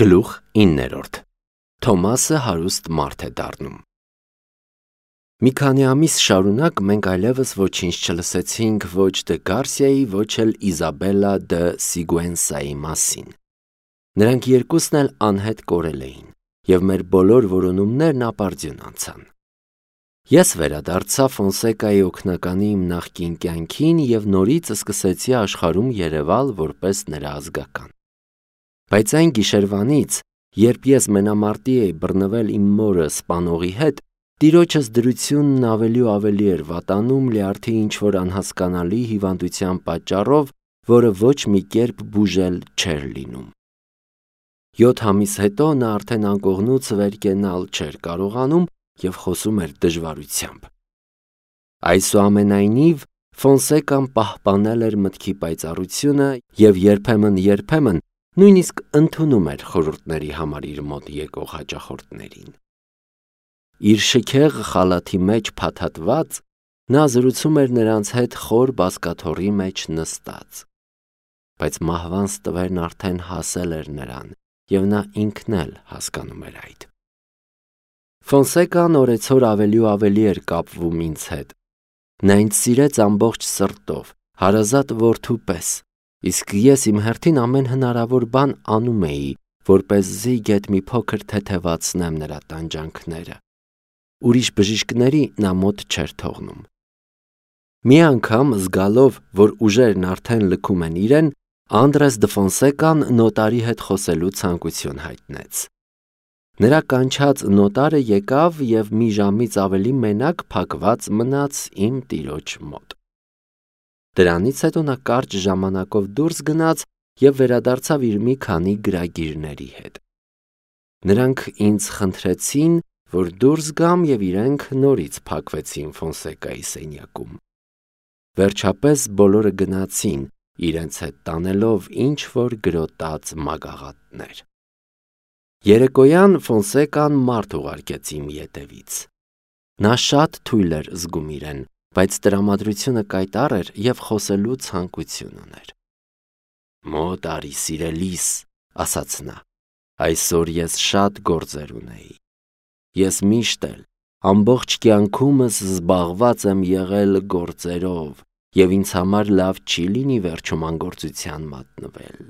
Գլուխ 9. Թոմասը հարուստ մարդ է դառնում։ Մի քանի ամիս շարունակ մենք այլևս ոչինչ չլսեցինք ոչ դե Գարսիայի, ոչ էլ Իզաբելլա դե Սիգուենսայի մասին։ Նրանք երկուսն էլ անհետ կորել էին, և մեր բոլոր որոնումներն ապարդյուն անցան։ Ես վերադարձա Ֆոնսեկայի օգնականի իմ նախկին կյանքին և նորից սկսեցի աշխարհում երևալ որպես նրա ազգական։ Բայց այն գիշերվանից, երբ ես մենամարտի էի բռնվել իմ մորը սպանողի հետ, տիրոջս դրությունն ավելի ու ավելի էր վատանում լյարդի ինչ-որ անհասկանալի հիվանդության պատճառով, որը ոչ մի կերպ բուժել չէր լինում։ 7 ամիս հետո նա արդեն անկողնուց վեր կենալ չէր կարողանում և խոսում էր դժվարությամբ։ Այսուամենայնիվ, Ֆոնսեկան պահպանել էր մտքի պայծառությունը և երբեմն նույնիսկ ընդունում էր խորհուրդների համար իր մոտ եկող հաճախորդներին։ Իր շքեղ խալաթի մեջ փաթաթված, նա զրուցում էր նրանց հետ խոր բազկաթոռի մեջ նստած։ Բայց մահվան ստվերն արդեն հասել էր նրան, և նա ինքն էլ հասկանում էր այդ։ Ֆոնսեկան օրեցօր ավելի ու ավելի էր կապվում ինձ հետ։ Նա ինձ սիրեց ամբողջ սրտով, հարազատ որդու պես, իսկ ես իմ հերթին ամեն հնարավոր բան անում էի, որպեսզի գեթ մի փոքր թեթևացնեմ նրա տանջանքները։ Ուրիշ բժիշկների նա մոտ չէր թողնում։ Մի անգամ, զգալով, որ ուժերն արդեն լքում են իրեն, Անդրես դե Ֆոնսեկան նոտարի հետ խոսելու ցանկություն հայտնեց։ Նրա կանչած նոտարը եկավ և մի ժամից ավելի մենակ փակված մնաց իմ տիրոջ մոտ։ Դրանից հետո նա կարճ ժամանակով դուրս գնաց և վերադարձավ իր մի քանի գրագիրների հետ։ Նրանք ինձ խնդրեցին, որ դուրս գամ և իրենք նորից փակվեցին Ֆոնսեկայի սենյակում։ Վերջապես բոլորը գնացին, իրենց հետ տանելով ինչ-որ գրոտած մագաղատներ։ Երեկոյան Ֆոնսեկան մարդ ուղարկեց իմ ետևից։ Նա շատ թույլ էր զգում իրեն, բայց տրամադրությունը կայտառ էր և խոսելու ցանկություն ուներ։ «Մոտ արի, սիրելիս», ասաց նա, «այսօր ես շատ գործեր ունեի։ Ես միշտ էլ ամբողջ կյանքումս զբաղված եմ եղել գործերով և ինձ համար լավ չի լինի վերջում անգործության մատնվել։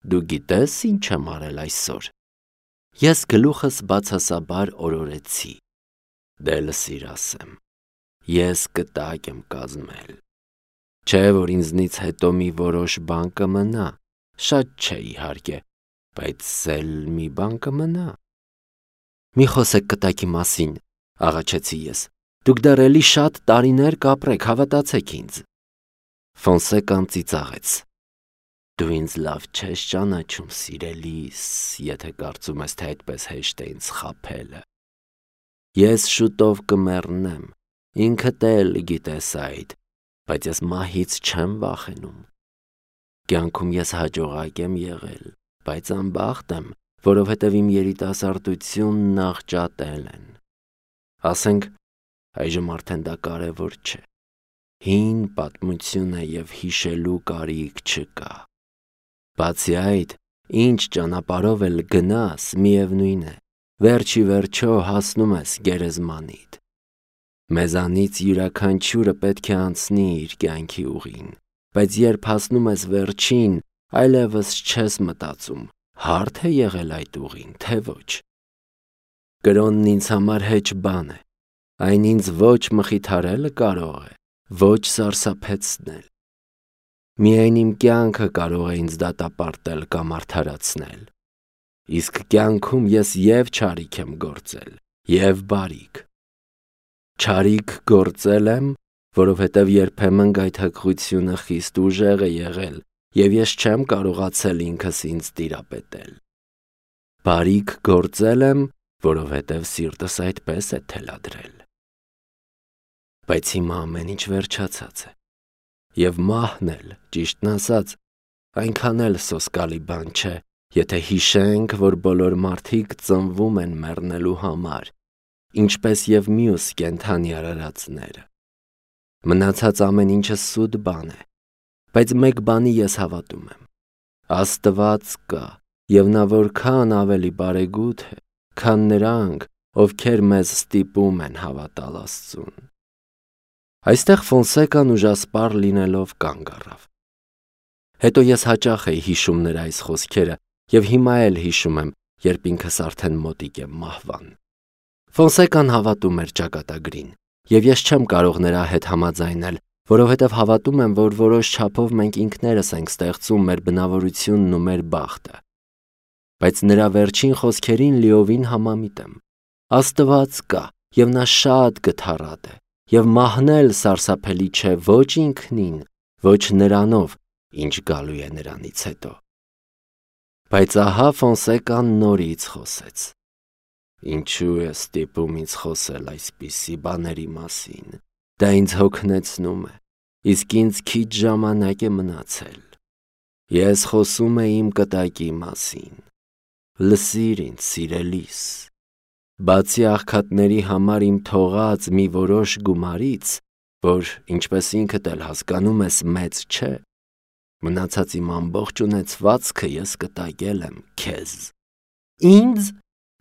Դու գիտե՞ս ինչ եմ արել այսօր»։ Ես գլուխս բացասաբար օրորեցի։ «Դե լսիր ասեմ, ես կտակ եմ կազմել։ Չէ՞ որ ինձնից հետո մի որոշ բան կմնա, շատ չէ իհարկե, բայց էլ մի բան կմնա»։ «Մի խոսեք կտակի մասին», աղաչեցի ես, «դուք դեռ էլի շատ տարիներ կապրեք, հավատացեք ինձ»։ Ֆոնսեկան ծիծաղեց։ «Դու ինձ լավ չես ճանաչում, սիրելիս, եթե կարծում ես, թե այդպես հեշտ է ինձ խաբելը։ Ես շուտով կմեռնեմ, ինքդ էլ գիտես այդ, բայց ես մահից չեմ վախենում։ Կյանքում ես հաջողակ եմ եղել, բայց անբախտ եմ, որովհետև իմ երիտասարդությունն աղճատել են։ Ասենք, այժմ արդեն դա կարևոր չէ։ Հին պատմություն է և հիշելու կարիք չկա։ Բացի այդ, ինչ ճանապարհով էլ գնաս, միևնույն է, վերջ ի վերջո հասնում ես գերեզմանիդ։ Մեզանից յուրաքանչյուրը պետք է անցնի իր կյանքի ուղին, բայց երբ հասնում ես վերջին, այլևս չես մտածում՝ հարդ է եղել այդ ուղին, թե ոչ։ Կրոնն ինձ համար հեչ բան է, այն ինձ ոչ մխիթարելը կարող է, ոչ սարսափեցնել։ Միայն իմ կյանքը կարող է ինձ դատապարտել կամ արդարացնել։ Իսկ կյանքում ես և չարիք եմ գործել, և բարիք։ Չարիք գործել եմ, որովհետև երբեմն գայթակղությունը խիստ ուժեղ է եղել, և ես չեմ կարողացել ինքս ինձ տիրապետել։ Բարիք գործել եմ, որովհետև սիրտս այդպես է թելադրել։ Բայց հիմա ամեն ինչ վերջացած է, և մահն էլ, ճիշտն ասած, այնքան էլ սոսկալի բան չէ, եթե հիշենք, որ բոլոր մարդիկ ծնվում են մեռնելու համար, ինչպես և մյուս կենդանի արարածները։ Մնացած ամեն ինչը սուտ բան է, բայց մեկ բանի ես հավատում եմ. Աստված կա եւ նա որքան ավելի բարեգութ է, քան նրանք, ովքեր մեզ ստիպում են հավատալ Աստծուն։ Այստեղ Ֆոնսեկան ուժասպառ լինելով կանգ առավ։ Հետո ես հաճախ էի հիշում նրա այս խոսքերը եւ հիմա էլ հիշում եմ, երբ ինքս արդեն մոտիկ եմ մահվան։ Ֆոնսեկան հավատում էր ճակատագրին, եւ ես չեմ կարող նրա հետ համաձայնել, որովհետեւ հավատում եմ, որ որոշ չափով մենք ինքներս ենք ստեղծում մեր բնավորությունն ու մեր բախտը։ Բայց նրա վերջին խոսքերին լիովին համամիտ եմ։ Աստված կա, եւ նա շատ գթառատ է, եւ մահնել սարսափելի չէ ոչ ինքնին, ոչ նրանով, ինչ գալու է նրանից հետո։ Բայց ահա Ֆոնսեկան նորից խոսեց. Ինչու է ստիպում ինձ խոսել այսպիսի բաների մասին։ Դա ինձ հոգնեցնում է, իսկ ինձ քիչ ժամանակ է մնացել։ Ես խոսում եմ իմ կտակի մասին։ Լսիր ինձ, սիրելիս։ Բացի աղքատների համար իմ թողած մի որոշ գումարից, որ, ինչպես ինքդ էլ հասկանում ես, մեծ չէ, մնացած իմ ամբողջ ունեցվածքը ես կտակել եմ քեզ։ Ինձ,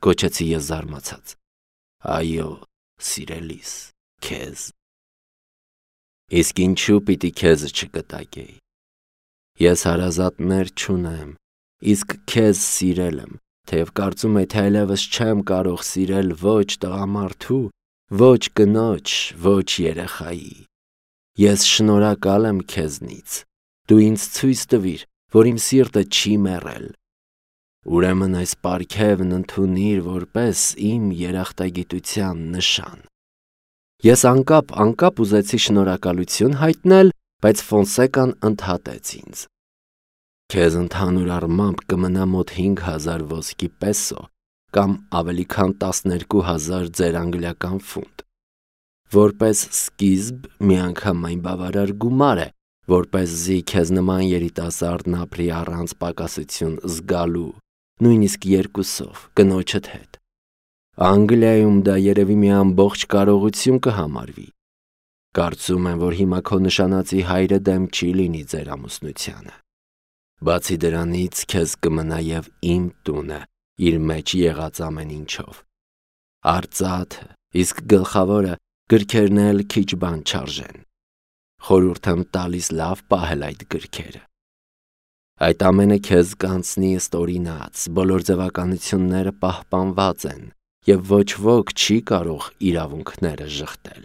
գոչեցի ես զարմացած։ Այո, սիրելիս, քեզ։ Իսկ ինչու պիտի քեզ չկտակեի։ Ես հարազատներ չունեմ, իսկ քեզ սիրել եմ, թեև կարծում եմ, թե այլևս չեմ կարող սիրել ոչ տղամարդու, ոչ կնոջ, ոչ երեխայի։ Ես շնորհակալ եմ քեզնից։ Դու ինձ ցույց տվիր, որ իմ սիրտը չի մեռել։ Ուրեմն այս պարգևն ընդունիր որպես իմ երախտագիտության նշան։ Ես անկապ ուզեցի շնորհակալություն հայտնել, բայց Ֆոնսեկան ընդհատեց ինձ։ Քեզ ընդհանուր առմամբ կմնա մոտ 5000 ոսկի պեսո կամ ավելի քան 12000 ձեր անգլիական ֆունտ։ Որպես սկիզբ միանգամայն բավարար գումար է, որպեսզի քեզ նման երիտասարդն ապրի առանց պակասություն զգալու, նույնիսկ երկուսով, կնոջդ հետ։ Անգլիայում դա երևի մի ամբողջ կարողություն կհամարվի։ Կարծում եմ, որ հիմա քո նշանածի հայրը դեմ չի լինի ձեր ամուսնությանը։ Բացի դրանից քեզ կմնա եւ իմ տունը իր մեջ եղած ամեն ինչով։ Արծաթը, իսկ գլխավորը գրքերն էլ քիչ բան չարժեն։ Խորհուրդ եմ տալիս լավ պահել այդ գրքերը։ Այդ ամենը քեզ կանցնի ըստ օրինաց, բոլոր ձևականությունները պահպանված են եւ ոչ ոք չի կարող իրավունքները ժխտել։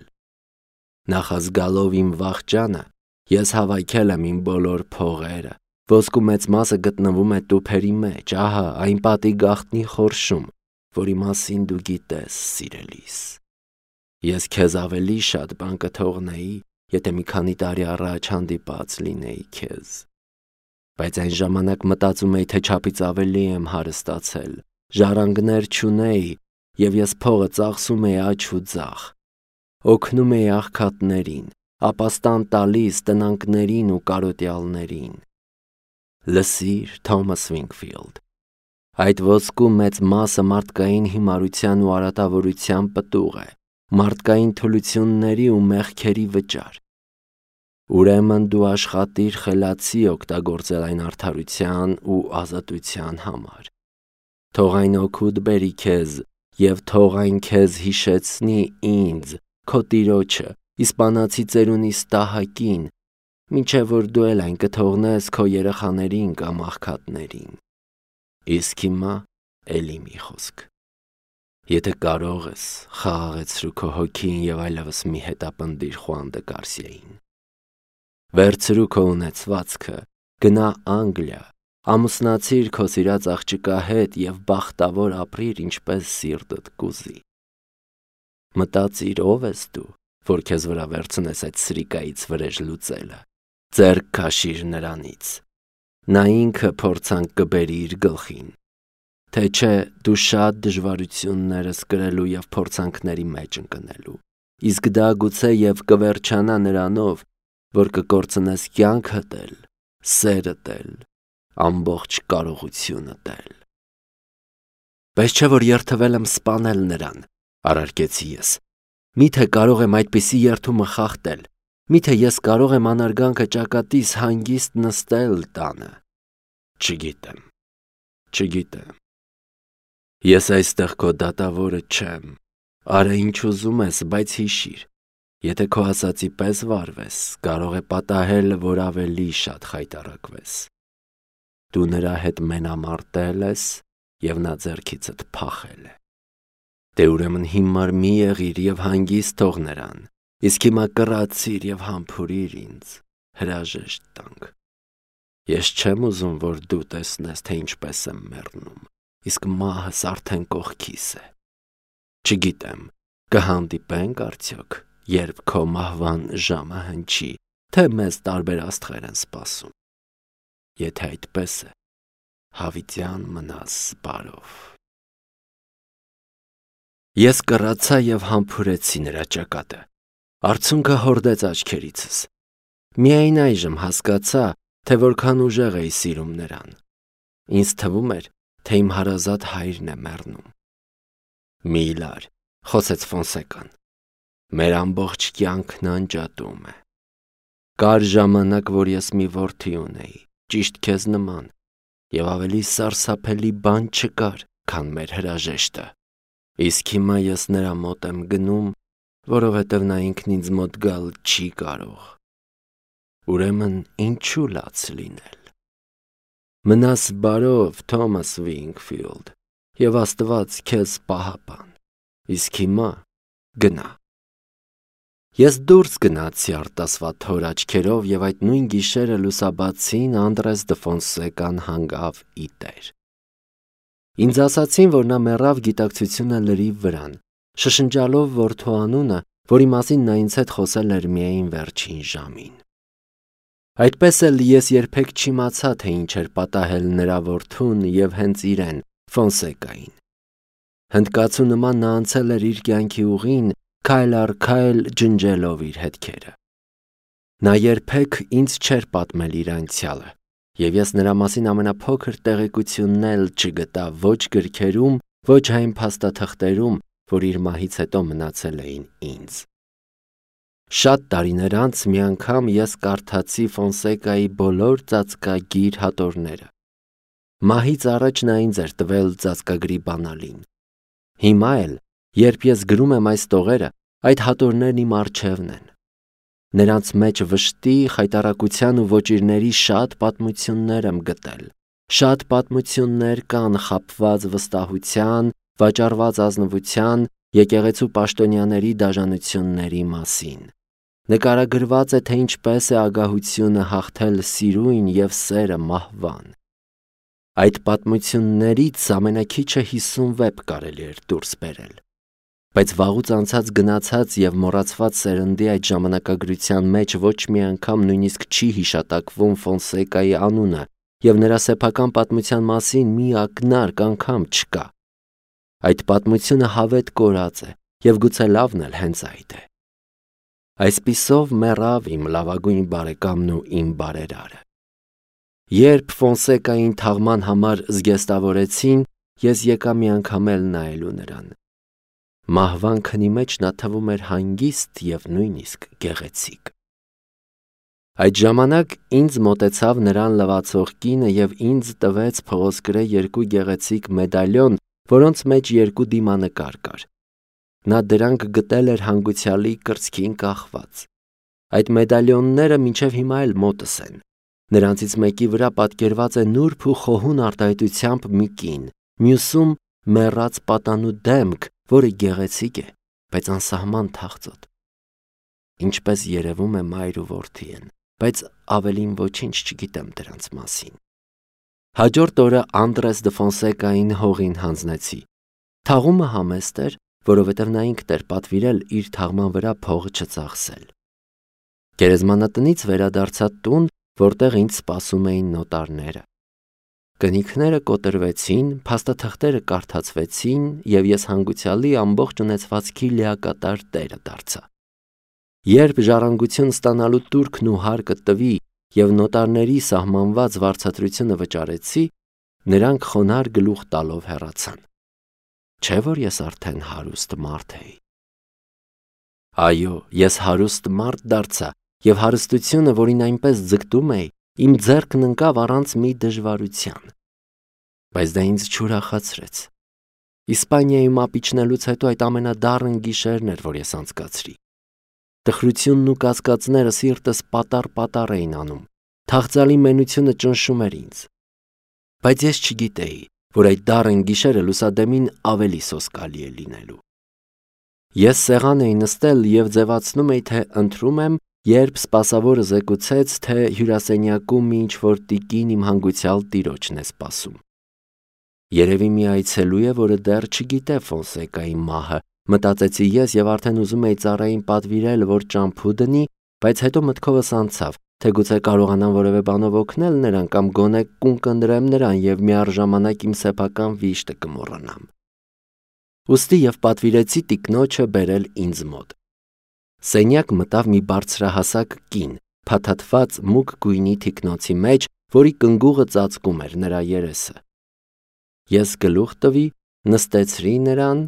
Նախազգալով իմ վախճանը, ես հավաքել եմ իմ բոլոր փողերը, ոսկու մեծ մասը գտնվում է տուփերի մեջ, ահա այն պատի գաղտնի խորշում, որի մասին դու գիտես, սիրելիս։ Ես քեզ ավելի շատ բան կթողնեի, եթե մի քանի տարի առաջ հանդիպած լինեի քեզ։ Բայց այն ժամանակ մտածում էի, թե չափից ավելի եմ հարստացել, ժառանգներ չունեի, եւ ես փողը ծախսում էի աջ ու ձախ։ Օգնում էի աղքատներին, ապաստան տալիս տնանկներին ու կարոտյալներին։ Լսիր, Թոմաս Վինքֆիլդ, այդ ոսկու մեծ մասը մարդկային հիմարության ու արատավորության պտուղ է, մարդկային թուլությունների ու մեղքերի վճար։ Ուրեմն դու աշխատիր խելացի օգտագործել այն արդարության ու ազատության համար։ Թող այն օգուտ բերի քեզ եւ թող այն քեզ հիշեցնի ինձ, քո տիրոջը, իսպանացի ծերունի ստահակին, մինչև որ դու էլ այն կթողնես քո երեխաներին կամ աղքատներին։ Իսկ հիմա էլի մի խոսք։ Եթե կարող ես, խաղաղեցրու քո հոգին եւ այլևս մի հետապնդիր Խուան դը Գարսիային։ Վերցրու քո ունեցվածքը, գնա Անգլիա, ամուսնացիր քո սիրած աղջկա հետ եւ բախտավոր ապրիր ինչպես սիրտդ կուզի։ Մտածիր ով ես դու, որ քեզ վրա վերցնես այդ սրիկայից վրեժ լուծելը։ Ձեռք քաշիր նրանից։ Նա ինքը փորձանք կբերի իր գլխին։ Թե չէ դու շատ դժվարություններս կրելու եւ փորձանքների մեջ ընկնելու։ Իսկ դա գուցե եւ կվերջանա նրանով, որ կկորցնես կյանքդ էլ, սերդ էլ, ամբողջ կարողությունդ էլ։ Բայց չէ որ երթվել եմ սպանել նրան, առարկեցի ես։ Միթե կարող եմ այդպիսի երթումը խախտել։ Միթե ես կարող եմ անարգանքը ճակատիս հանգիստ նստել տանը։ Չգիտեմ։ Չգիտեմ։ Ես այստեղ քո դատավորը չեմ։ Արա ինչ ուզում ես, բայց հիշիր, եթե քո ասածի պես վարվես, կարող է պատահել, որ ավելի շատ խայտառակվես։ Դու նրա հետ մենամարտել ես և նա ձեռքիցդ փախել է։ Դե ուրեմն հիմար մի եղիր և հանգիստ թող նրան, իսկ հիմա կռացիր և համբուրիր ինձ, հրաժեշտ տանք։ Ես չեմ ուզում, որ դու տեսնես, թե ինչպես եմ մեռնում, իսկ մահս արդեն կողքիս է։ Չգիտեմ, կհանդիպենք արդյոք, երբ քո մահվան ժամը հնչի, թե մեզ տարբեր աստղեր են սպասում։ Եթե այդպես է, հավիտյան մնաս բարով։ Ես կռացա և համբուրեցի նրա ճակատը։ Արցունքը հորդեց աչքերիցս։ Միայն այժմ հասկացա, թե որքան ուժեղ էի սիրում նրան։ Ինձ թվում էր, թե իմ հարազատ հայրն է մեռնում։ Միլար, խոսեց Ֆոնսեկան, մեր ամբողջ կյանքն անջատում է։ Կար ժամանակ, որ ես մի որդի ունեի, ճիշտ քեզ նման, և ավելի սարսափելի բան չկար, քան մեր հրաժեշտը։ Իսկ հիմա ես նրա մոտ եմ գնում, որովհետև նա ինքն ինձ մոտ գալ չի կարող։ Ուրեմն ինչու լաց լինել։ Մնաս բարով, Թոմաս Վինգֆիլդ, և Աստված քեզ պահապան։ Իսկ հիմա գնա։ Ես դուրս գնացի արտասվատ հոր աչքերով և այդ նույն գիշերը լուսաբացին Անդրես դը Ֆոնսեկան հանգավ ի տեր։ Ինձ ասացին, որ նա մեռավ գիտակցությունը լրիվ վրան, շշնջալով որդու անունը, որի մասին նա ինձ հետ խոսել էր միայն վերջին ժամին։ Այդպես էլ ես երբեք չիմացա, թե ինչ էր պատահել նրա որդուն և հենց իրեն, Ֆոնսեկային։ Հնդկացու նման նա անցել էր իր կյանքի ուղին, քայլ առ քայլ ջնջելով իր հետքերը։ Նա երբեք ինձ չէր պատմել իր անցյալը, և ես նրա մասին ամենափոքր տեղեկությունն էլ չգտա ոչ գրքերում, ոչ այն փաստաթղթերում, որ իր մահից հետո մնացել էին ինձ։ Շատ տարիներ անց մի անգամ ես կարդացի Ֆոնսեկայի բոլոր ծածկագիր հատորները։ Մահից առաջ նա ինձ էր տվել ծածկագրի բանալին։ Հիմա էլ, երբ ես գրում եմ այս տողերը, այդ հատորներն իմ առջևն են։ Նրանց մեջ վշտի, խայտառակության ու ոճիրների շատ պատմություններ եմ գտել։ Շատ պատմություններ կան խաբված վստահության, վաճառված ազնվության, եկեղեցու պաշտոնյաների դաժանությունների մասին։ Նկարագրված է, թե ինչպես է ագահությունը հաղթել սիրույն և սերը մահվան։ Այդ պատմություններից ամենաքիչը 50 վեպ կարելի էր դուրս բերել։ Բայց վաղուց անցած գնացած և մոռացված սերնդի այդ ժամանակագրության մեջ ոչ մի անգամ նույնիսկ չի հիշատակվում Ֆոնսեկայի անունը, և նրա սեփական պատմության մասին մի ակնարկ անգամ չկա։ Այդ պատմությունը հավետ կորած է, և գուցե լավն էլ հենց այդ է։ Այսպիսով մեռավ իմ լավագույն բարեկամն ու իմ բարերարը։ Երբ Ֆոնսեկային թաղման համար զգեստավորեցին, ես եկա մի անգամ էլ նայելու նրան։ Մահվան քնի մեջ նա թվում էր հանգիստ և նույնիսկ գեղեցիկ։ Այդ ժամանակ ինձ մոտեցավ նրան լվացող կինը և ինձ տվեց փղոսկրե 2 գեղեցիկ մեդալյոն, որոնց մեջ 2 դիմանկար կար։ Նա դրանք գտել էր հանգուցյալի կրծքին կախված։ Այդ մեդալյոնները մինչև հիմա էլ մոտս են։ Նրանցից մեկի վրա պատկերված է նուրբ ու խոհուն արտահայտությամբ մի կին, մյուսում մեռած պատանու դեմք, որը գեղեցիկ է, բայց անսահման թախծոտ։ Ինչպես երևում է մայր ու որդի են, բայց ավելին ոչինչ չգիտեմ դրանց մասին։ Հաջորդ օրը Անդրես դը Ֆոնսեկային հողին հանձնեցի։ Թաղումը համեստ էր, որովհետև նա ինքն էր պատվիրել իր թաղման վրա փողը չծախսել։ Գերեզմանատնից վերադարձա տուն, որտեղ ինձ սպասում էին նոտարները։ Կնիքները կոտրվեցին, փաստաթղթերը կարդացվեցին, և ես հանգուցյալի ամբողջ ունեցվածքի լիակատար տերը դարձա։ Երբ ժառանգություն ստանալու տուրքն ու հարկը տվի և նոտարների սահմանված վարձատրությունը վճարեցի, նրանք խոնարհ գլուխ տալով հեռացան։ Չէ՞ որ ես արդեն հարուստ մարդ էի։ Այո, ես հարուստ մարդ դարձա, և հարստությունը, որին այնպես ձգտում էի, իմ ձեռքն ընկավ առանց մի դժվարության։ բայց դա ինձ չուրախացրեց։ Իսպանիայում ապիչնելուց հետո այդ ամենադառն գիշերն էր, որ ես անցկացրի։ Տխրությունն ու կասկածները սիրտս պատառ էին անում, թախծալի մենությունը ճնշում էր ինձ։ Բայց ես չգիտեի, որ այդ դառն գիշերը լուսադեմին ավելի սոսկալի է լինելու։ Ես սեղան էի նստել և ձևացնում էի, թե ընթրում եմ, երբ սպասավորը զեկուցեց, թե հյուրասենյակում մի ինչ-որ տիկին իմ հանգուցյալ տիրոջն է սպասում։ Երևի մի այցելու է, որը դեռ չգիտե Ֆոնսեկայի մահը, մտածեցի ես և արդեն ուզում էի ծառային պատվիրել, որ ճամփու դնի, բայց հետո մտքովս անցավ, թե գուցե կարողանամ որևէ բանով օգնել նրան կամ գոնե կուն կընտրեմ նրան և միառժամանակ իմ սեփական վիշտը կմոռանամ։ Ուստի և պատվիրեցի տիկնոջը բերել ինձ մոտ։ Սենյակ մտավ մի բարձրահասակ կին, փաթաթված մուգ գույնի թիկնոցի մեջ, որի կնգուղը ծածկում էր նրա երեսը։ Ես գլուխ տվի, նստեցրի նրան,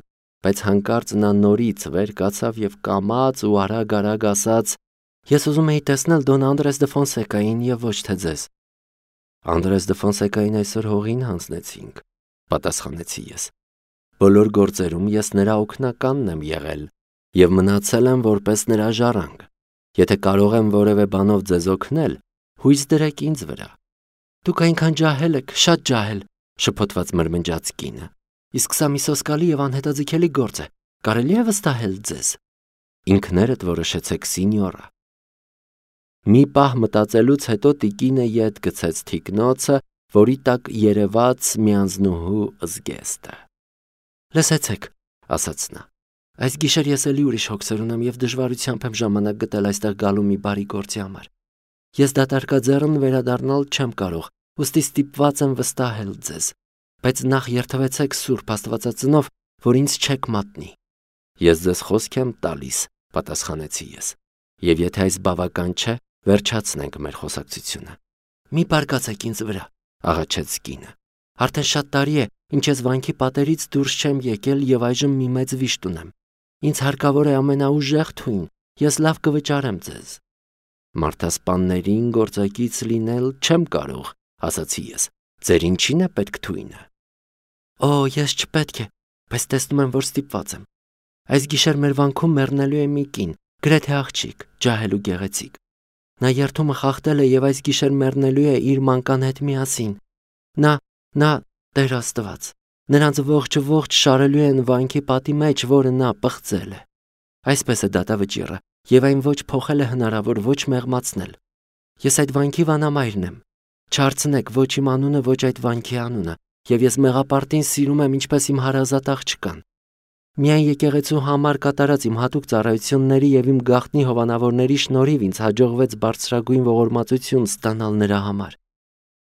բայց հանկարծ նա նորից վեր կացավ և կամաց ու արագ ասաց. «Ես ուզում էի տեսնել Դոն Անդրես դե Ֆոնսեկային և ոչ թե ձեզ»։ «Անդրես դե Ֆոնսեկային այսօր հողին հանձնեցինք», պատասխանեցի ես։ «Բոլոր գործերում ես նրա օգնականն եմ եղել և մնացել եմ որպես նրա ժառանգ։ Եթե կարող եմ որևէ բանով ձեզ օգնել, հույս դրեք ինձ վրա»։ «Դուք այնքան ջահել եք, շատ ջահել», շփոթված մրմնջաց կինը։ «Իսկ սա մի սոսկալի և անհետաձգելի գործ է, կարելի է վստահել ձեզ»։ «Ինքներդ որոշեցեք, սինյորա»։ Մի պահ մտածելուց հետո տիկինը ետ գցեց թիկնոցը, որի տակ երևաց մի անձնուհու զգեստը։ «Լսեցեք», ասաց նա, «այս գիշեր ես էլի ուրիշ հոգսեր ունեմ և դժվարությամբ եմ ժամանակ գտել այստեղ գալու մի բարի գործի համար։ Ես դատարկաձեռն վերադառնալ չեմ կարող, ուստի ստիպված եմ վստահել ձեզ, բայց նախ երդվեցեք Սուրբ Աստվածածնով, որ ինձ չեք մատնի»։ «Ես ձեզ խոսք եմ տալիս», պատասխանեցի ես, «և եթե այս բավական չէ, վերջացնենք մեր խոսակցությունը»։ «Մի բարկացեք ինձ վրա», աղաչեց կինը։ «Արդեն շատ տարի է, ինչ ես վանքի պատերից դուրս չեմ եկել և այժմ մի մեծ վիշտ ունեմ։ Ինձ հարկավոր է ամենաուժեղ թույն, ես լավ կվճարեմ ձեզ»։ «Մարդասպաններին գործակից լինել չեմ կարող», ասացի ես։ «Ձեր ինչին է պետք թույնը»։ «Օ, ես չպետք է, բայց տեսնում եմ, որ ստիպված եմ։ Այս գիշեր մեր վանքում մեռնելու է մի կին, գրեթե աղջիկ, ջահել ու գեղեցիկ։ Նա երդումը խախտել է և այս գիշեր մեռնելու է իր մանկան հետ միասին։ Նա, Տեր Աստված, նրանց ողջ շարելու են վանքի պատի մեջ, որը նա պղծել է։ Այսպես է դատավճիռը, և այն ոչ փոխել է հնարավոր, ոչ մեղմացնել։ Ես այդ վանքի վանամայրն եմ։ Չհարցնեք ոչ իմ անունը, ոչ այդ վանքի անունը, և ես մեղապարտին սիրում եմ ինչպես իմ հարազատ աղջկան։ Միայն եկեղեցու համար կատարած իմ հատուկ ծառայությունների և իմ գաղտնի հովանավորների շնորհիվ ինձ հաջողվեց բարձրագույն ողորմածություն ստանալ նրա համար։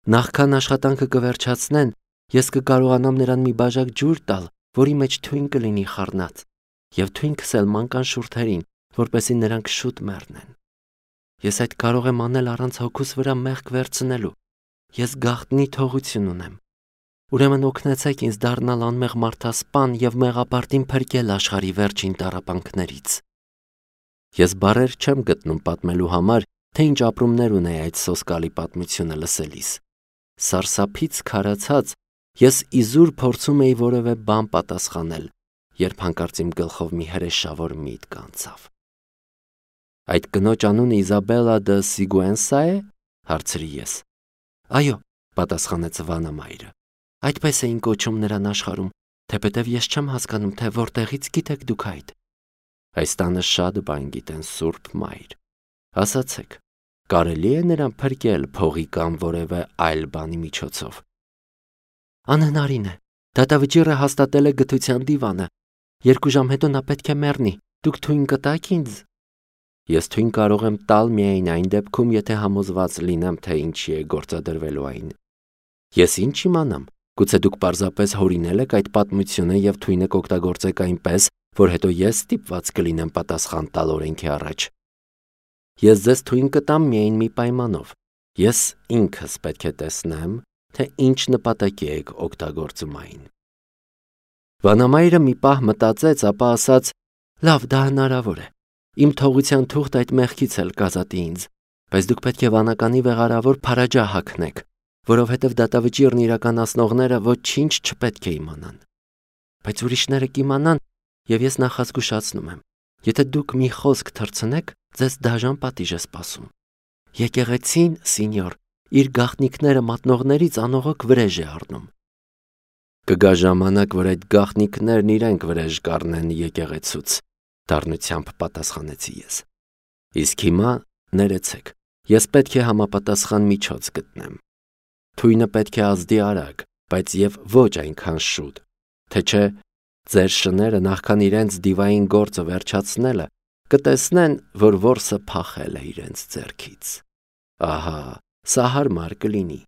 Նախքան աշխատանքը կվերջացնեն, ես կկարողանամ նրան մի բաժակ ջուր տալ, որի մեջ թույն կլինի խառնած, և թույն քսել մանկան շուրթերին, որպեսզի նրանք շուտ մեռնեն։ Ես այդ կարող եմ անել առանց հոգուս վրա մեղք վերցնելու։ Ես գաղտնի թողություն ունեմ։ Ուրեմն օգնեցեք ինձ դառնալ անմեղ մարդասպան և մեղապարտին փրկել աշխարհի վերջին տառապանքներից։ Ես բառեր չեմ գտնում պատմելու համար, թե ինչ ապրումներ ունեի այդ սոսկալի պատմությունը լսելիս։ Սարսափից քարացած, ես իզուր փորձում էի որևէ բան պատասխանել, երբ հանկարծ իմ գլխով մի հրեշավոր միտք անցավ։ «Այդ կնոջ անունը Իզաբելա դը Սիգուենսա է», հարցրի ես։ «Այո», պատասխանեց վանամայրը, «այդպես էին կոչում նրան աշխարհում, թեպետև ես չեմ հասկանում, թե որտեղից գիտեք դուք այդ»։ «Այս տանը շատ բան գիտեն, Սուրբ Մայր։ Ասացեք, կարելի է նրան փրկել փողի կամ որևէ այլ բանի միջոցով»։ «Անհնարին է, դատավճիռը հաստատել է գթության դիվանը։ 2 ժամ հետո նա պետք է մեռնի, դուք թույն կտա՞ք ինձ»։ «Ես թույն կարող եմ տալ միայն այն դեպքում, եթե համոզված լինեմ, թե ինչի է գործադրվելու այն»։ «Ես ինչ իմանամ, գուցե դուք պարզապես հորինել եք այդ պատմությունը և թույնը կօգտագործեք այնպես, որ հետո ես ստիպված կլինեմ պատասխան տալ օրենքի առաջ»։ «Ես ձեզ թույն կտամ միայն մի պայմանով. ես ինքս պետք է տեսնեմ, թե ինչ նպատակի եք օգտագործում այն»։ Վանամայրը մի պահ մտածեց, ապա ասաց. «Լավ, դա հնարավոր է։ Իմ թողության թուղթ այդ մեղքից էլ կազատի ինձ, բայց դուք պետք է վանականի վեղարավոր Փարաջա հագնեք, որովհետև դատավճիռն իրականացնողները ոչինչ չպետք է իմանան։ Բայց ուրիշները կիմանան, եւ ես նախազգուշացնում եմ, եթե դուք մի խոսք թռցնեք, ձեզ դաժան պատիժ է սպասում։ Եկեղեցին, սինյոր, իր գաղտնիքները մատնողներից անողոք վրեժ է առնում։ Կգա ժամանակ, որ այդ գաղտնիքներն իրենք վրեժ կառնեն եկեղեցուց, դառնությամբ պատասխանեցի ես։ Իսկ հիմա ներեցեք, ես պետք է համապատասխան միջոց գտնեմ։ Թույնը պետք է ազդի արագ, բայց եւ ոչ այնքան շուտ, թե չէ ձեր շները նախքան իրենց դիվային գործը վերջացնելը կտեսնեն, որ որսը փախել է իրենց ձեռքից։ Ահա, սա հարմար կլինի։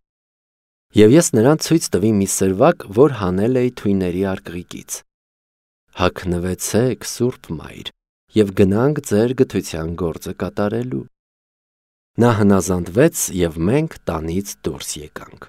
Եվ ես նրան ցույց տվի մի սրվակ, որ հանել էի թույների արկղիկից։ Հագնվեցեք, Սուրբ Մայր, եւ գնանք ձեր գթության գործը կատարելու։ Նա հնազանդվեց, եւ մենք տանից դուրս եկանք։